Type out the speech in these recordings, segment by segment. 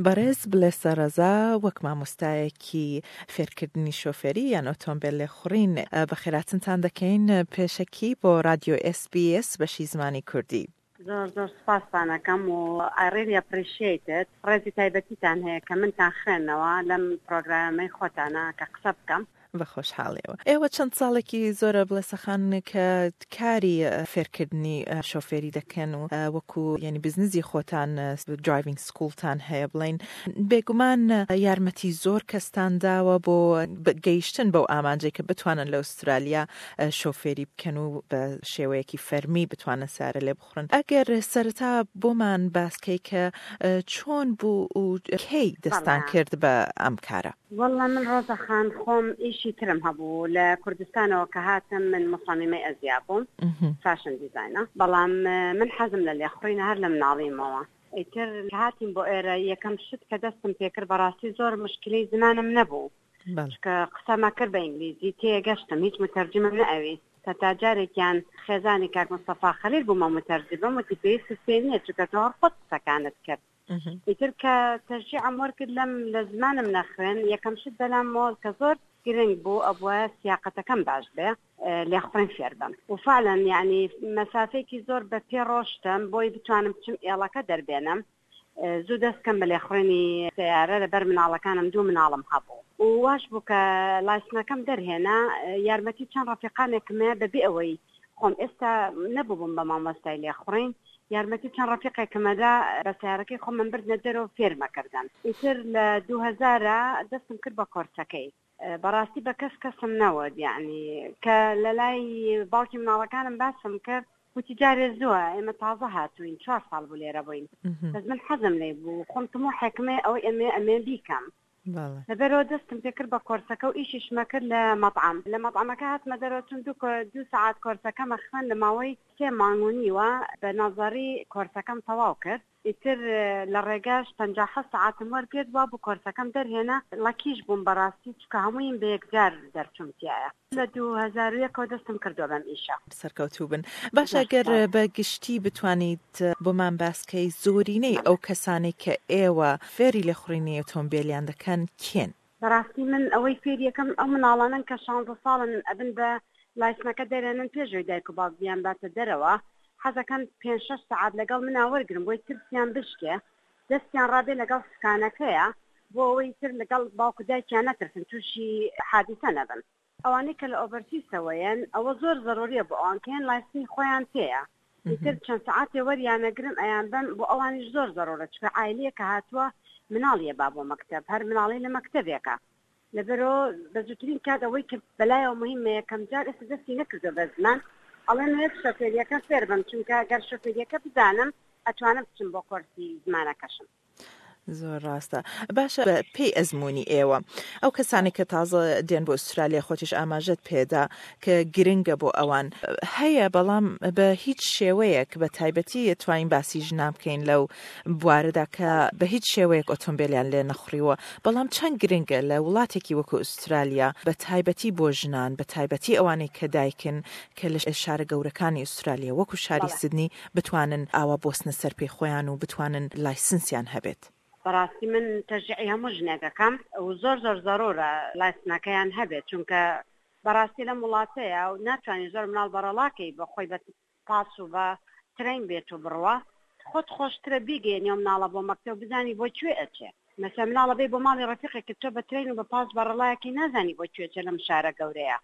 بەڕێز بڵێسە ڕەزا وەک مامۆستایەکی فێرکردنی شۆفێری یان ئۆتۆمبێل لێخوڕین بەخێراتنتان دەکەین پێشەکی بۆ ڕادیۆ ئێس بی ئێس بەشی زمانی کوردی. زۆر زۆر سوپاستان ئەکەم و I really appreciate it ڕێزی تایبەتیتان هەیە کە منتان خوێندنەوە لەم پرۆگرامەی خۆتانا کە قسە بکەم. بە خۆشحاڵیەوە. ئێوە چەند ساڵێکی زۆرە بڵێسە خان کە کاری فێرکردنی شۆفێری دەکەن و وەکو یانی بزنزی خۆتان درایڤینگ سکوڵتان هەیە بڵێین بێگومان یارمەتی زۆر کەستان داوە بۆ گەیشتن بەو ئامانجەی کە بتوانن لە ئوسترالیا شۆفێری بکەن و بە شێوەیەکی فەرمی بتوانن سەیارە لێ بخوڕن. ئەگەر سەرەتا بۆمان باس کەی کە چۆن بوو و کەی دەستان کرد بە ئەم کارە؟ وەڵا من ڕۆزە خان خۆم ئیشی ترم هەبوو لە کوردستانەوە کە هاتم من موسەمیمەی ئەزیا بووم فاشن دیزاینە بەڵام من حەزم لە لێخوڕینە هەر لە مناڵیمەوە ئیتر کە هاتین بۆ ئێرە یەکەم شت کە دەستم پێکرد بەڕاستی زۆر مشکلەی زمانم نەبوو چونکە قسەمە کرد بە ئینگلیزی تێگەشتم هیچ متەرجمم نەئەویست هەتا جارێکیان خێزانی کاک مستەفا خەلیل بوومە متەرجمم وتی پێویستت پێ نییە چونکە تۆ هەر خۆت قسەکانت کرد ئیتر کە تەشجیعم وەرگرت لەم لە زمانم نەخوێن یەکەم شت بەلامەوە کە زۆر گرنگ بوو ئەبوایە سیاقەتەکەم باش بێ لێخوڕین فێر بم و فعلا یعنی مەسافەیەکی زۆر بە پێ ڕۆشتم بۆی بتوانم بچم ئێڵەکە دەربێنم زوو دەست کەم بە لێخوڕینی سەیارە لەبەر مناڵەکانم دوو مناڵم هەبوو و واش بوو کە لایسنەکەم دەرهێنا یارمەتی چەند ڕەفیقانێکم هەیە بەبێ ئەوەی خۆم ئێستا نەبووبم بە مامۆستای لێخوڕین یارمەتی چەند ڕەفیقێکم ئەدا بە سەیارەکەی خۆمم بردنە دەرەوە فێرمەکردن ئیتر لە دووهەزارا دەستم کرد بە کۆرسەکەی بەڕاستی بە کەس کەسم نەوت یەعنی کە لەلای باوکی مناڵەکانم باسم کرد وتی جارێ زووە ئێمە تازە هاتووین چوار ساڵ بوو لێرە بووین بەس من حەزم لێ بوو خۆم تموحێکم هەیە ئەوەی ئەمێ ئەمێ بیکەم لەبەرەوە دەستم پێکرد بە کۆرسەکە و ئیشیشمە کرد لە مەطعەم لە مەطعەمەکە هاتمە دەرەوە چون دوو دوو سەعات کۆرسەکەمە خوێند لە ماوەی سێ مانگ و نیوە بە نەزەری کۆرسەکەم تەواو کرد ئیتر لە ڕێگاش 57 سەعاتم وەرگرت وابوو کۆرسەکەم دەرهێنا ڵەکیش بووم بەڕاستی چونکە هەموویم بە یەکجار دەرچووم تیایا لە 2001 ەوە دەستم کردووە بەم ئیشە. سەرکەوتوو بن. باشە گەر بە گشتی بتوانیت بۆمان باس کەی زۆرینەی ئەو کەسانەی کە ئێوە فێری لێخوڕینی ئۆتۆمبێلیان دەکەن کێن؟ بەڕاستی من ئەوەی فێری ئەکەم ئەو مناڵانەن کە شانزە ساڵن ئەبن بە لایسنەکە دەرێنن پێش ئەوەی دایک و باوک بیانباتە دەرەوە حەزەکەن پێنج شەش سەعات لەگەڵ منا وەرگرن بۆی ترسیان بشکێ دەستیان ڕابێ لەگەڵ سکانەکەیا بۆ ئەوەی تر لەگەڵ باوک و دایکیان نەترسن توشی حادیسە نەبن. ئەوانەی کە لە ئۆڤەرسیسەوەیەن ئەوە زۆر زەروریە بۆ ئەوان کە یەن لایسنی خۆیان پێیە ئیتر چەند سەعاتێ وەریانەگرم ئەیانبەم بۆ ئەوانیش زۆر زەرورە چونکە عایلەیەکە هاتووە مناڵی ئەبا بۆ مەکتەب هەر مناڵی لە مەکتەبێکە لەبەرئەوە بە زووترین کات ئەوەی کە بەلایەوە مهمە یەکەم جار ئێستا دەستی نەکردووە بە زمان ئەڵێم ئەوێت شۆفێریەکە فێر بم چونکە گەر شۆفێریەکە بزانم ئەتوانم بچم بۆ کۆرسی زمانەکەشم. زۆر ڕاستە باشە بە پێی ئەزموونی ئێوە ئەو کەسانی کە تازە دێن بۆ ئوسترالیا خۆتیش ئاماژەت پێدا کە گرنگە بۆ ئەوان هەیە بەڵام بە هیچ شێوەیەک بە تایبەتی توانین باسی ژنان بکەین لەو بوارەدا کە بە هیچ شێوەیەک ئۆتۆمبیلیان لێ نەخوڕیوە بەڵام چەند گرنگە لە وڵاتێکی وەکو ئوسترالیا بە تایبەتی بۆ ژنان بە تایبەتی ئەوانەی کە دایکن کە لە شارە گەورەکانی ئوسترالیا وەکو شاری سدنی بتوانن ئاوا بوەستنە سەر پێی خۆیان و بتوانن لایسنسیان هەبێت. بەڕاستی من تەشجیعی هەموو ژنێک ئەکەم و زۆر زۆر زەرورە لایسنەکەیان هەبێت چونکە بەڕاستی لەم وڵاتەیە و ناتوانی زۆر مناڵ بەڕەڵاکەی بە خۆی بە پاس و بە ترەین بێت و بڕوا خۆت خۆشترە بیگەیەنی ئەو مناڵە بۆ مەکتەب بزانی بۆ کوێ ئەچێ مەسەلەن مناڵە بێی بۆ ماڵی ڕەفیقێکت تۆ بە ترەین و بە پاس بەڕەڵایەکەی نازانی بۆ کوێ ئەچێ لەم شارە گەورەیە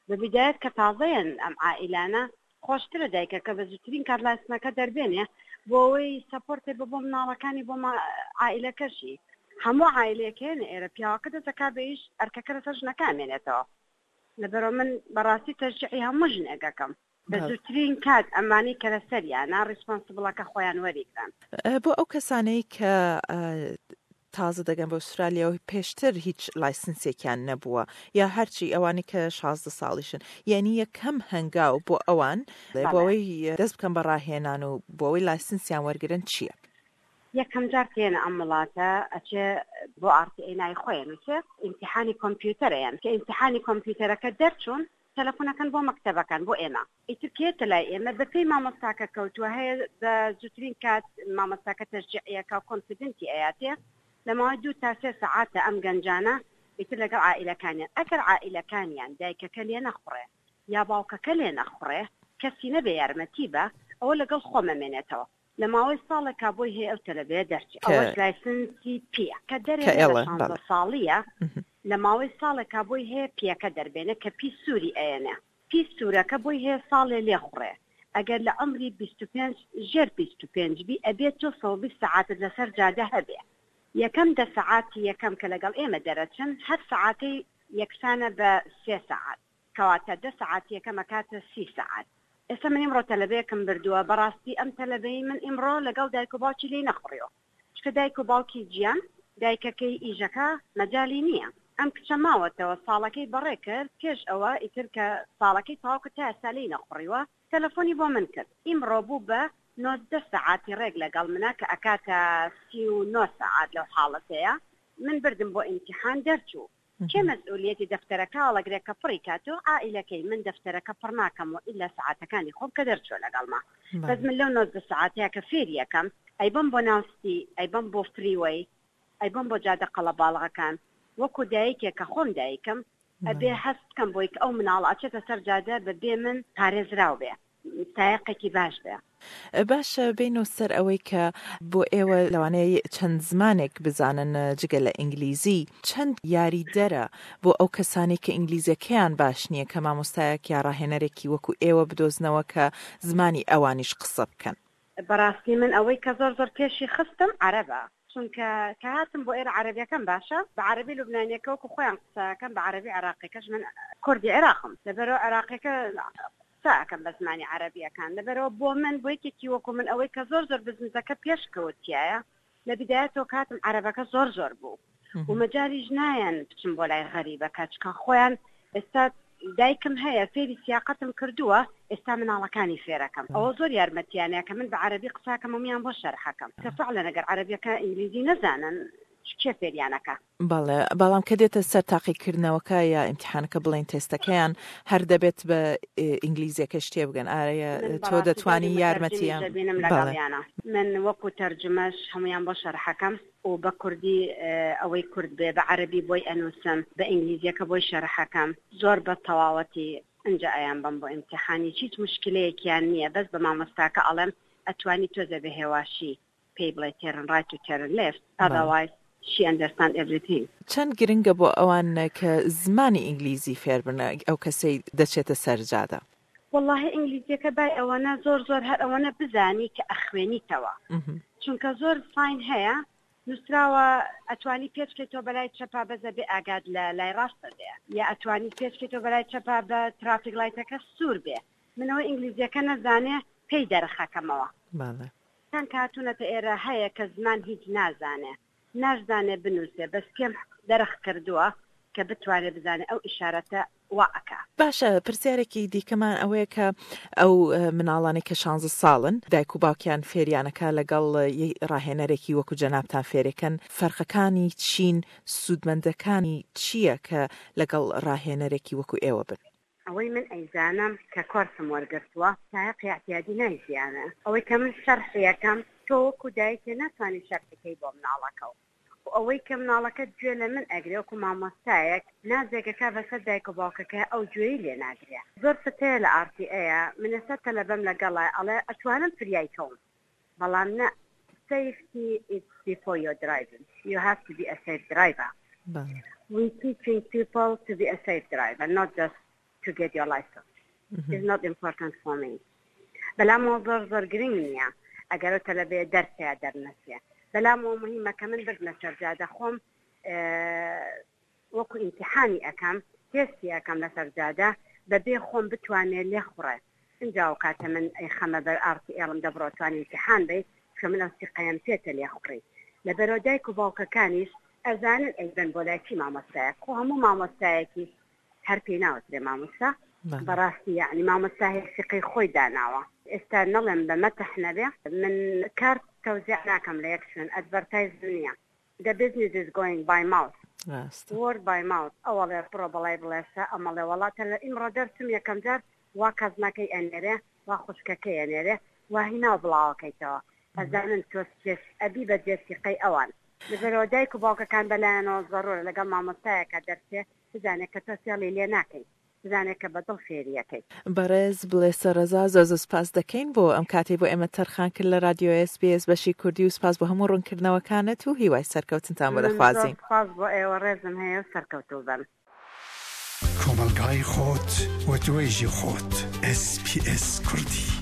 بە بیدایەت کە تازەیەن ئەم عائیلانە خۆشترە دایکەکە بە زووترین کات لایسنەکە دەربێنێ بۆ ئەوەی سەپۆرتێ بە بۆ مناڵەکانی بۆ عائیلەکەشی هەموو عائیلەیەک هێنە ئێرە پیاوەکە دەست دەکا بە ئیش ئەرکەکە لەسەر ژنەکە ئەمێنێتەوە لەبەرئەوە من بەڕاستی تەشجیعی هەموو ژنێک ئەکەم بە زووترین کات ئەمانەی کە لەسەریانە ڕیسپۆنسبڵەکە خۆیان وەریگرن. بۆ ئەو کەسانەی کە تازە دەگەن بە ئوسترالیا و پێشتر هیچ لایسنسێکیان نەبووە یا هەرچی ئەوانەی کە 16 ساڵیشن یعنی یەکەم هەنگاو بۆ ئەوان بۆ ئەوەی دەست بکەن بە ڕاهێنان و بۆ ئەوەی لایسنسیان وەرگرن چییە؟ یەکەم جار کە یەنە ئەم وڵاتە ئەچێ بۆ ئاڕ تی ئەی ناوی خۆی ئەنووسێ ئیمتیحانی کۆمپیوتەر ئەیەن کە ئیمتیحانی کۆمپیوتەرەکە دەرچوون تەلەفۆن ئەکەن بۆ مەکتەبەکان بۆ ئێمە ئیتر کە یەتە لای ئێمە بە پێی مامۆستاکە کەوتووە هەیە بە زووترین کات مامۆستاکە تەشجیعی ئەکا و کۆنفیدنتی ئەیاتێ. لە ماوەی دوو تا سێ سەعاتە ئەم گەنجانە ئیتر لەگەڵ عائیلەکانیان ئەگەر عائیلەکانیان دایکەکە لێ نەخوڕێ یا باوکەکە لێ نەخوڕێ کەسی نەبێ یارمەتی بە ئەوە لەگەڵ خۆم ئەمێنێتەوە لە ماوەی ساڵێکا بۆی هەیە ئەو تەلەبەیە دەرچێ ئەوەش لایسنسی پیە کە دەرێنێ لە شانزە ساڵیە لە ماوەی ساڵێکا بۆی هەیە پیەکە دەربێنێ کە پی سووری ئەیەنێ پی سوورەکە بۆی هەیە ساڵێ لێخوڕێ ئەگەر لە عومری 25 ژێر 25 بی ئەبێ تۆ 120 سەعاتت لەسەر جادە هەبێ یەکەم دە سەعاتی یەکەم کە لەگەڵ ئێمە دەرەچن هەر سەعاتەی یەکسانە بە سێ سەعات کەواتە دە سەعات یەکەم ئەکاتە سی سەعات. ئێستا من ئیمڕۆ تەلەبەیەکم بردووە بەڕاستی ئەم تەلەبەی من ئیمڕۆ لەگەڵ دایک و باوکی لێی نەخوڕیوە چونکە دایک و باوکی جیان دایکەکەی ئیژەکە مەجالی نییە ئەم کچە ماوەتەوە ساڵەکەی بەڕێ کرد پێش ئەوە ئیتر کە ساڵەکەی تەواو کرد تا ئێستا لێی نەخوڕیوە تەلەفۆنی بۆ من کرد ئیمڕۆ بوو بە 19 سەعاتی ڕێک لەگەڵ منە کە ئەکاتە 39 سەعات لەو حاڵەتەیە من بردم بۆ ئیمتیحان دەرچوو کێ مەسئولیەتی دەفتەرەکە هەڵەگرێ کە پڕی کاتۆ عائیلەکەی من دەفتەرەکە پڕ ناکەم و ئیلا سەعاتەکانی خۆم کە دەرچوە لەگەڵما بەس من لەو 19 سەعاتەیە کە فێری ئەکەم ئەیبەم بۆ ناو ستی ئەیبەم بۆ فریوەی ئەیبەم بۆ جادە قەڵەباڵغەکان وەکو دایکێک کە خۆم دایکم ئەبێ هەست بکەم بۆی کە ئەو مناڵە ئەچێتە سەر جادە بە بێ من پارێزراو بێ. سایەقێکی باش بێ. باشە بێینەوە سەر ئەوەی کە بۆ ئێوە لەوانەیە چەند زمانێک بزانن جگە لە ئینگلیزی، چەند یاریدەرە بۆ ئەو کەسانەی کە ئینگلیزیەکەیان باش نییە کە مامۆستایەک یا ڕاهێنەرێکی وەکو ئێوە بدۆزنەوە کە زمانی ئەوانیش قسە بکەن؟ بەڕاستی من ئەوەی کە زۆر زۆر پێشی خستم عەرەبە چونکە کە هاتم بۆ ئێرە عەرەبیەکەم باشە بە عەرەبی لوبنانیەکە وەکو خۆیان قسە ئەکەن بە عەرەبی عێراقیەکەش من کوردی عێراقم لەبەرئەوە عێراقیەکە قسە ئەکەم بە زمانی عەرەبیەکان لەبەرئەوە بۆ من بۆ یەکێکی وەکو من ئەوەی کە زۆر زۆر بزنسەکە پێش کەوت تیایە لە بیدایەتەوە کە هاتم عەرەبەکە زۆر زۆر بوو و مەجالیش نایەن بچم بۆ لای غەریبەکە چکە خۆیان ئێستا دایکم هەیە فێری سیاقەتم کردووە ئێستا مناڵەکانی فێرەکەم ئەوە زۆر یارمەتیانە کە من بە عەرەبی قساکەم هەموویان بۆ شەرحەکەم کە فعلا ئەگەر عەرەبیەکە ئینگلیزی نەزانن کێ فێریانەکا. بەڵێ بەڵام کە دێتە سەر تاقیکردنەوەکە یا ئیمتیحانەکە بڵێین تێستەکەیان هەر دەبێت بە ئینگلیزیەکەش تێبگەن ئایا من تۆ بەڕاستی دەوری دەتوانی متەرجمیش یارمەتیان دەبینم بەڵێ. لەگەڵیانا من وەکو تەرجومەش هەموویان بۆ شەرحەکەم و بە کوردی ئەوەی کورد بێ بە عەرەبی بۆی ئەنووسم بە ئینگلیزیەکە بۆی شەرحەکەم زۆر بە تەواوەتی ئنجا ئەیانبەم بۆ ئیمتیحانیش هیچ موشکیلەیەکیان نیە بەس بە مامۆستاکە ئەڵێم ئەتوانی تۆزێ بە هێواشی پێی بڵێ تێرن ڕایت و تێرن لێفت ئەذەوایز شی ئەندەرستاند ئێڤریتینگ. چەند گرنگە بۆ ئەوان کە زمانی ئینگلیزی فێر بن ئەو کەسەی دەچێتە سەر جادە؟ وەڵاهی ئینگلیزیەکە بای ئەوەنە زۆر زۆر هەر ئەوەنە بزانی کە ئەخوێنیتەوە چونکە زۆر ساین هەیە نوسراوە ئەتوانی پێچ کەیتەوە بەلای چەپا بەس ئەبێ ئاگات لە لای ڕاستە بێ یا ئەتوانی پێچ کەیتەوە بەلای چەپا بە ترافیک لایتەکە سوور بێ من ئەوە ئینگلیزیەکە نەزانێ پێی دەرخەکەمەوە. بەڵێ. کان کە هاتوونەتە ئێرە هەیە کە زمان هیچ نازانێ ناشزانێ بنووسێ بەس پێم دەرخ کردووە کە بتوانێ بزانێ ئەو ئیشارەتە وا ئەکا. باشە پرسیارێکی دیکەمان ئەوەیە کە ئەو مناڵانەی کە شانزە ساڵن دایک و باوکیان فێریانەکا لەگەڵ ڕاهێنەرێکی وەکو جەنابتان فێرێکەن فەرقەکانی چین سوودمەندەکانی چییە کە لەگەڵ ڕاهێنەرێکی وەکو ئێوە بن؟ ئەوەی من ئەیزانم کە کۆرسم وەرگرتووە سایەقی ئیعتیادی نایزیانێ ئەوەی کە من شەرحی ئەکەم تۆ وەکو دایکێ ناتوانی شەرحی کەی بۆ مناڵەکەو و ئەوەی کە مناڵەکەت گوێ لە من ئەگرێ وەکو مامۆستایەک نازێک ئەکا بەسەر دایک و باوکەکەیا ئەو گوێی لێ ناگرێ زۆر شت هەیە لە ئاڕ تی ئەیە من ئێستا تەلەبەم لەگەڵە ئەڵێ ئەتوانم فریای کەوم بەڵام نا safety is before your driving you have to be a safe driver we teaching people to be a safe driver not just to get your license is not important for me بەلامەوە زۆر زۆر گرنگ نییە ئەگەر ئەو تەلەبەیە دەرچێ یا دەرنەچێ بەلامەوە مهمە کە من بردمە سەر جادە خۆم وەکو ئیمتیحانی ئەکەم تێستی ئەکەم لەسەر جادە بەبێ خۆم بتوانێ لێخوڕێ ئینجا ئەوکاتە من ئەیخەمە بەر ئاڕتی ئێڵم دە بڕۆ توانی ئیمتیحان بەی چونکە من ئەو سیقەیەم پێتە لێخوڕی لەبەرئەوە دایک و باوکەکانیش ئەزانن ئەیبەن بۆ لای چی مامۆستایەک خۆ هەموو مامۆستایەکیش هەر پێی ناوترێ مامۆستا بەڕاستی یەعنی مامۆستا هەیە سیقەی خۆی داناوە ئێستا نەڵێم بە مەتح نەبێ من کارت تەوزیع ناکەم لە یەک شوێن ئەدڤەرتایزم نییە The business is going by mouth ڕاستە. Word by mouth ئەوەڵێ بڕۆ بەڵای بڵێسە ئەمەڵێ وەڵا تەلە ئیمڕۆ دەرچم یەکەم جار وا کەزنەکەی ئەنێرێ وا خوشکەکەی ئەنێرێ وا هی ناو بڵاوەکەیتەوە ئەزانن تۆ سپێس ئەبی بە جێ سیقەی ئەوان. لەبەرئەوە دایک و باوکەکان بەلایانەوە زەرورە لەگەڵ مامۆستایەکا دەرچێ بزانێ کە تۆ فێڵی لێ ناکەی بزانێ کە بە دڵ فێری ئەکەی. بەڕێز بڵێسە ڕەزا زۆر زۆر سپاست دەکەین بۆ ئەم کاتەی بۆ ئێمەت تەرخان کرد لە ڕادیۆ ئێس بی ئێس بەشی کوردی و سپاس بۆ هەموو ڕوونکردنەوەکانت و هیوای سەرکەوتنتان بۆ من زۆر دەخوازین. سپاس بۆ ئێوە ڕێزم هەیە و سەرکەوتوو بن. کۆمەڵگای خۆت و توێژی خۆت. ئێس پی ئێس کوردی.